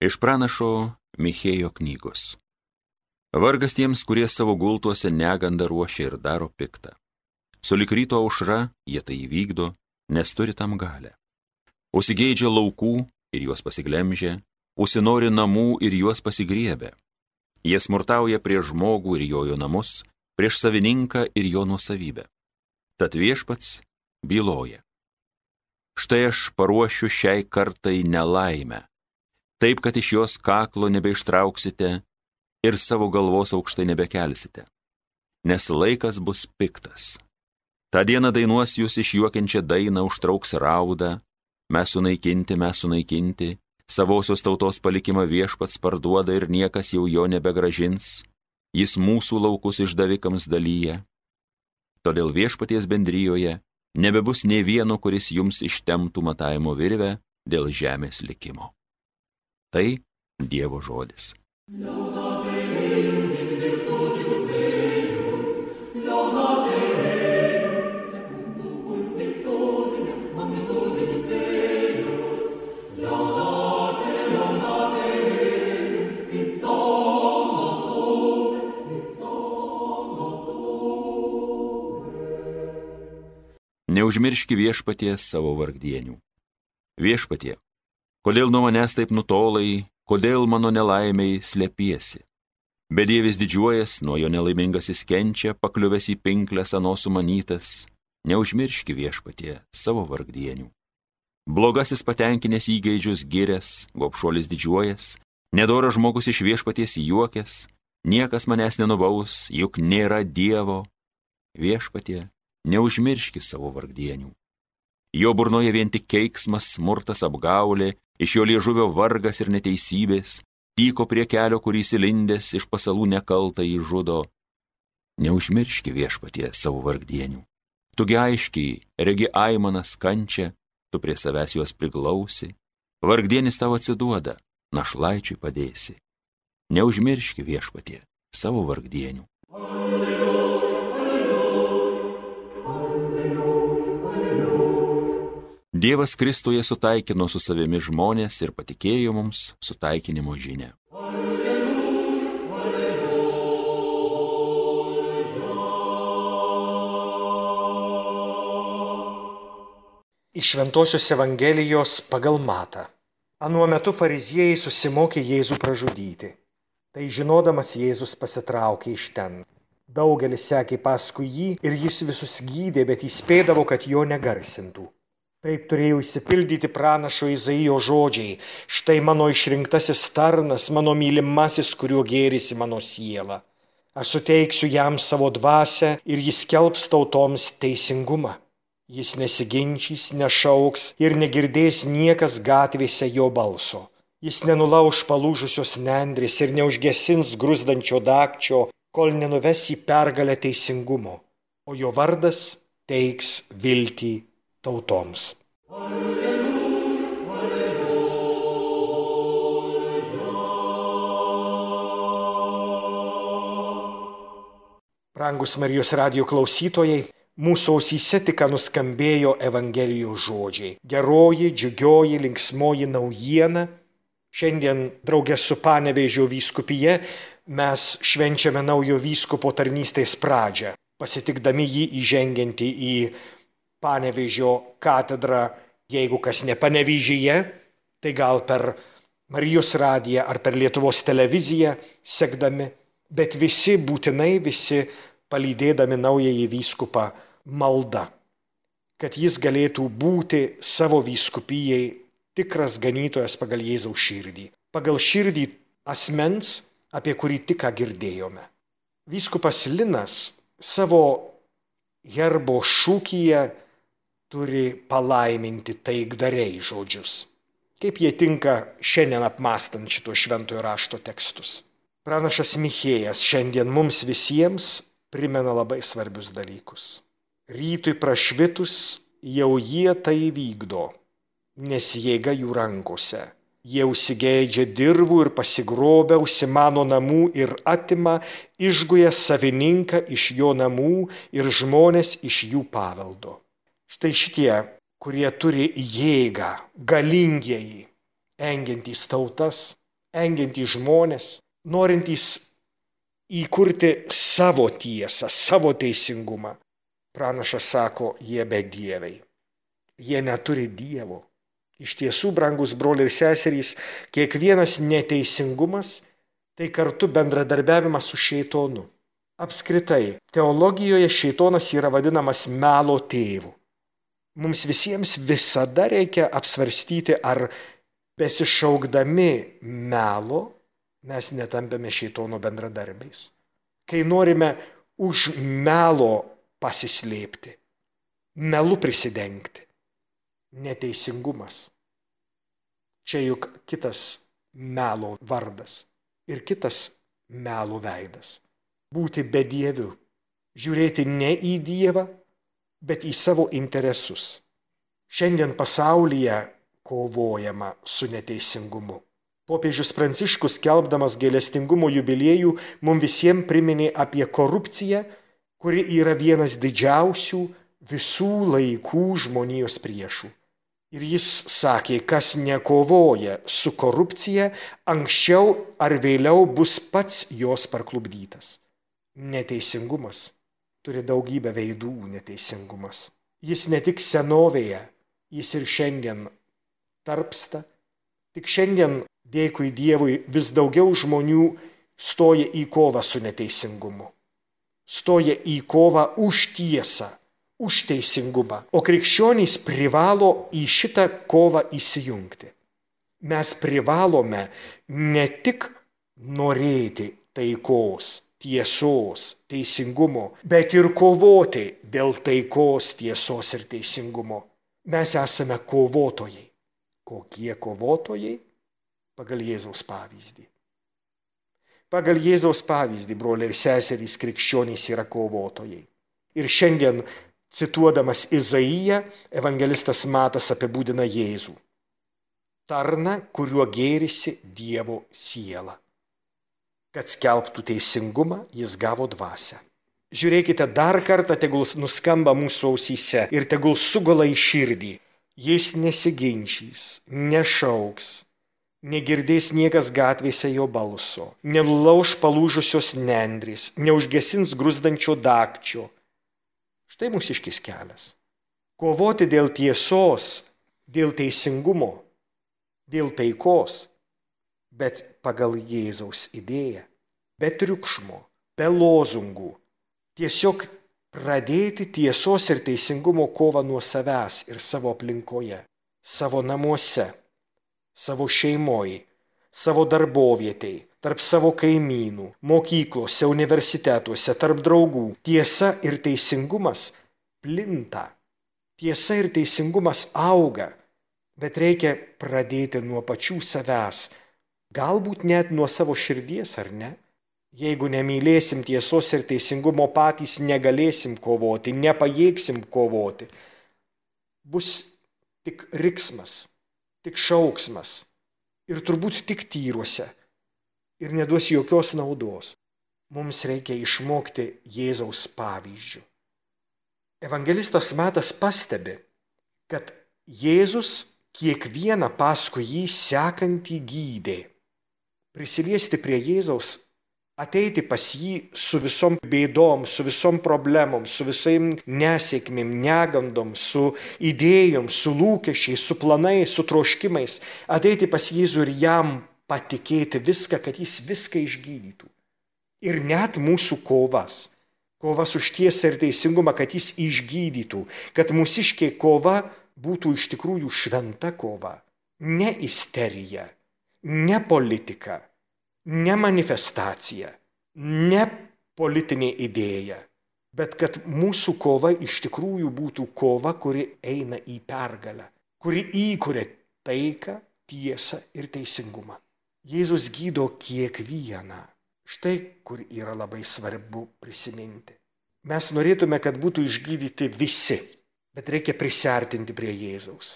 Iš pranašo Michėjo knygos. Vargas tiems, kurie savo gultuose negandą ruošia ir daro piktą. Sulig ryto aušra jie tai įvykdo, nes turi tam galę. Užsigeidžia laukų ir juos pasiglemžia, užsinori namų ir juos pasigriebia. Jie smurtauja prieš žmogų ir jo namus, prieš savininką ir jo nuosavybę. Tad viešpats byloja. Štai aš paruošiu šiai kartai nelaimę, taip, kad iš jos kaklo nebeištrauksite ir savo galvos aukštai nebekelsite, nes laikas bus piktas. Ta diena dainuos jūs išjuokiančią dainą, užtrauks raudą, mes sunaikinti, savosios tautos palikimą viešpats parduoda ir niekas jau jo nebegražins, jis mūsų laukus išdavikams dalyja. Todėl viešpaties bendrijoje nebebus nė vieno, kuris jums ištemptų matavimo virvę dėl žemės likimo. Tai Dievo žodis. Neužmirški viešpatie savo vargdienių. Viešpatie, kodėl nuo manęs taip nutolai, kodėl mano nelaimiai slepiesi? Bedievis didžiuojas, nuo jo nelaimingasis kenčia, pakliuvęs į pinkles ano sumanytas. Neužmirški viešpatie savo vargdienių. Blogasis patenkinęs įgeidžius girias, gobšuolis didžiuojas, nedoras žmogus iš viešpaties juokės, niekas manęs nenubaus, juk nėra Dievo. Viešpatie, neužmirški savo vargdienių. Jo burnoje vien tik keiksmas, smurtas, apgaulė, iš jo liežuvio vargas ir neteisybės, tyko prie kelio, kurį įsilindęs iš pasalų nekaltą įžudo. Neužmirški viešpatie savo vargdienių. Tugi aiškiai, regi aimanas kančia, tu prie savęs juos priglausi, vargdienis tau atsiduoda, našlaičiui padėsi. Neužmirški viešpatie savo vargdienių. Dievas Kristuje sutaikino su savimi žmonės ir patikėjo mums sutaikinimo žinią. Iš Šventosios Evangelijos pagal Matą. Anuo metu fariziejai susimokė Jėzų pražudyti. Tai žinodamas Jėzus pasitraukė iš ten. Daugelis sekė paskui jį ir jis visus gydė, bet įspėdavo, kad jo negarsintų. Taip turėjo išsipildyti pranašo Izaijo žodžiai. Štai mano išrinktasis tarnas, mano mylimasis, kuriuo gėrisi mano siela. Aš suteiksiu jam savo dvasią ir jis skelbs tautoms teisingumą. Jis nesiginčys, nešauks ir negirdės niekas gatvėse jo balso. Jis nenulauš palūžusios nendrės ir neužgesins gruzdančio dagčio, kol nenuves į pergalę teisingumo, o jo vardas teiks viltį tautoms. Alleluja, alleluja. Brangus Marijos radijo klausytojai, mūsų ausyse tik nuskambėjo Evangelijos žodžiai. Geroji, džiugioji, linksmoji naujiena. Šiandien draugė su Panevėžio vyskupija mes švenčiame naujo vyskupo tarnystės pradžią, pasitikdami jį įžengiantį į Panevėžio katedrą. Jeigu kas ne Panevėžyje, tai gal per Marijos radiją ar per Lietuvos televiziją sekdami, bet visi būtinai palydėdami naująjį vyskupą malda, kad jis galėtų būti savo vyskupijai tikras ganytojas pagal Jėzaus širdį, pagal širdį asmens, apie kurį tik ką girdėjome. Vyskupas Linas savo herbo šūkyje turi palaiminti taikdariai žodžius. Kaip jie tinka šiandien apmąstant šito šventojo rašto tekstus. Pranašas Michėjas šiandien mums visiems primena labai svarbius dalykus. Rytui prašvitus jau jie tai vykdo, nes jėga jų rankose. Jie užsigeidžia dirvų ir pasigrobia, užsimano namų ir atima, išguja savininką iš jo namų ir žmonės iš jų paveldo. Štai šitie, kurie turi jėgą, galingieji, engiantys tautas, engiantys žmonės, norintys įkurti savo tiesą, savo teisingumą. Pranašas sako, jie bedieviai. Jie neturi Dievo. Iš tiesų, brangus broliai ir seserys, kiekvienas neteisingumas tai kartu bendradarbiavimas su šėtonu. Apskritai, teologijoje šėtonas yra vadinamas melo tėvu. Mums visiems visada reikia apsvarstyti, ar besišaukdami melo mes netampame šėtono bendradarbiais. Kai norime už melo pasislėpti, melu prisidengti, neteisingumas. Čia juk kitas melo vardas ir kitas melo veidas. Būti bedieviu, žiūrėti ne į Dievą, bet į savo interesus. Šiandien pasaulyje kovojama su neteisingumu. Popiežius Pranciškus, skelbdamas gailestingumo jubiliejų, mums visiems priminė apie korupciją, kuri yra vienas didžiausių visų laikų žmonijos priešų. Ir jis sakė, kas nekovoja su korupcija, anksčiau ar vėliau bus pats jos parklupdytas. Neteisingumas turi daugybę veidų neteisingumas. Jis ne tik senovėje, jis ir šiandien tarpsta. Tik šiandien, dėkui Dievui, vis daugiau žmonių stoja į kovą su neteisingumu. Stoja į kovą už tiesą, už teisingumą. O krikščionys privalo į šitą kovą įsijungti. Mes privalome ne tik norėti taikos, tiesos, teisingumo, bet ir kovoti dėl taikos, tiesos ir teisingumo. Mes esame kovotojai. Kokie kovotojai? Pagal Jėzaus pavyzdį. Pagal Jėzaus pavyzdį, broliai ir seserys, krikščionys yra kovotojai. Ir šiandien, cituodamas Izaiją, evangelistas Matas apibūdina Jėzų. Tarną, kuriuo gėrisi Dievo siela. Kad skelbtų teisingumą, jis gavo dvasią. Žiūrėkite, dar kartą tegul nuskamba mūsų ausyse ir tegul sugula į širdį. Jis nesiginčys, nešauks, negirdės niekas gatvėse jo balso, nenulauš palūžusios nendrės, neužgesins gruzdančio dagčio. Štai mūsiškis kelias. Kovoti dėl tiesos, dėl teisingumo, dėl taikos, bet pagal Jėzaus idėją, be triukšmo, be lozungų. Tiesiog pradėti tiesos ir teisingumo kovą nuo savęs ir savo aplinkoje, savo namuose, savo šeimoje, savo darbovietėj, tarp savo kaimynų, mokyklose, universitetuose, tarp draugų. Tiesa ir teisingumas plinta. Tiesa ir teisingumas auga, bet reikia pradėti nuo pačių savęs. Galbūt net nuo savo širdies, ar ne? Jeigu nemylėsim tiesos ir teisingumo, patys negalėsim kovoti, nepajėgsim kovoti. Bus tik riksmas, tik šauksmas ir turbūt tik tyruose ir neduos jokios naudos. Mums reikia išmokti Jėzaus pavyzdžių. Evangelistas Matas pastebi, kad Jėzus kiekvieną paskui jį sekantį gydė. Prisiliesti prie Jėzaus, ateiti pas jį su visom bėdom, su visom problemom, su visam nesėkmėm, negandom, su idėjom, su lūkesčiais, su planais, su troškimais. Ateiti pas Jėzų ir jam patikėti viską, kad jis viską išgydytų. Ir net mūsų kovas už tiesą ir teisingumą, kad jis išgydytų, kad mūsiškė kova būtų iš tikrųjų šventa kova. Ne isterija, ne politika, ne manifestacija, ne politinė idėja, bet kad mūsų kova iš tikrųjų būtų kova, kuri eina į pergalę, kuri įkuria taiką, tiesą ir teisingumą. Jėzus gydo kiekvieną. Štai kur yra labai svarbu prisiminti. Mes norėtume, kad būtų išgydyti visi, bet reikia prisiartinti prie Jėzaus.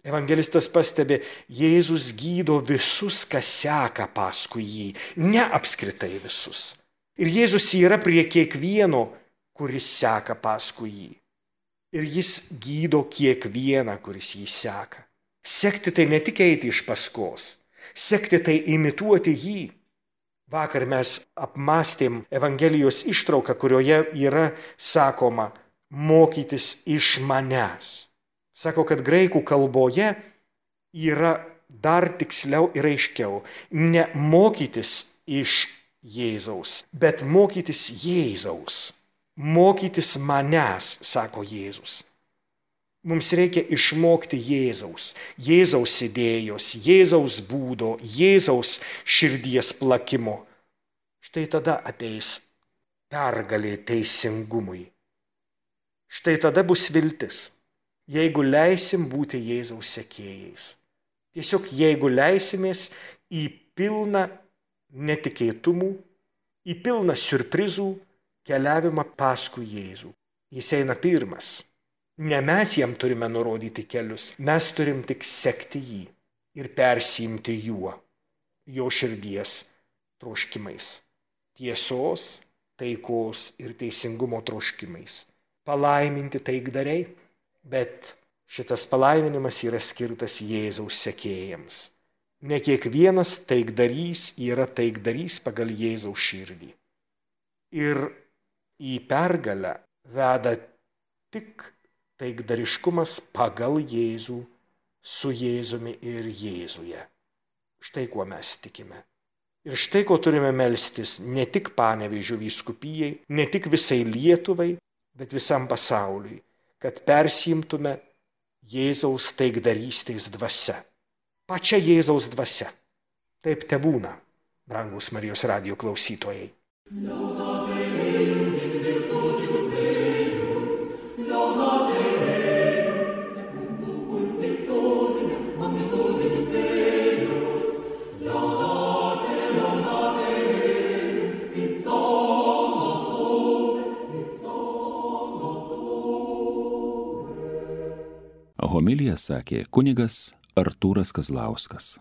Evangelistas pastebi, Jėzus gydo visus, kas seka paskui jį, ne apskritai visus. Ir Jėzus yra prie kiekvieno, kuris seka paskui jį. Ir jis gydo kiekvieną, kuris jį seka. Sekti tai ne tik eiti iš paskos. sekti tai imituoti jį. Vakar mes apmąstėm Evangelijos ištrauką, kurioje yra sakoma mokytis iš manęs. Sako, kad graikų kalboje yra dar tiksliau ir aiškiau ne mokytis iš Jėzaus, bet mokytis Jėzaus. Mokytis manęs, sako Jėzus. Mums reikia išmokti Jėzaus, Jėzaus idėjos, Jėzaus būdo, Jėzaus širdies plakimo. Štai tada ateis pergalė teisingumui. Štai tada bus viltis, jeigu leisim būti Jėzaus sekėjais. Tiesiog jeigu leisimės į pilną netikėtumų, į pilną siurprizų keliavimą paskui Jėzų. Jis eina pirmas. Ne mes jam turime nurodyti kelius, mes turim tik sekti jį ir persiimti juo, jo širdies troškimais, tiesos, taikos ir teisingumo troškimais. Palaiminti taikdariai, bet šitas palaiminimas yra skirtas Jėzaus sekėjams. Ne kiekvienas taikdarys yra taikdarys pagal Jėzaus širdį. Ir į pergalę veda tik taikdariškumas pagal Jėzų, su Jėzumi ir Jėzuje. Štai kuo mes tikime. Ir štai ko turime melstis ne tik Panevėžio vyskupijai, ne tik visai Lietuvai, bet visam pasauliui, kad persiimtume Jėzaus taikdarystės dvasia. Pačia Jėzaus dvasia. Taip tebūna, brangūs Marijos radijo klausytojai. Homiliją sakė kunigas Artūras Kazlauskas.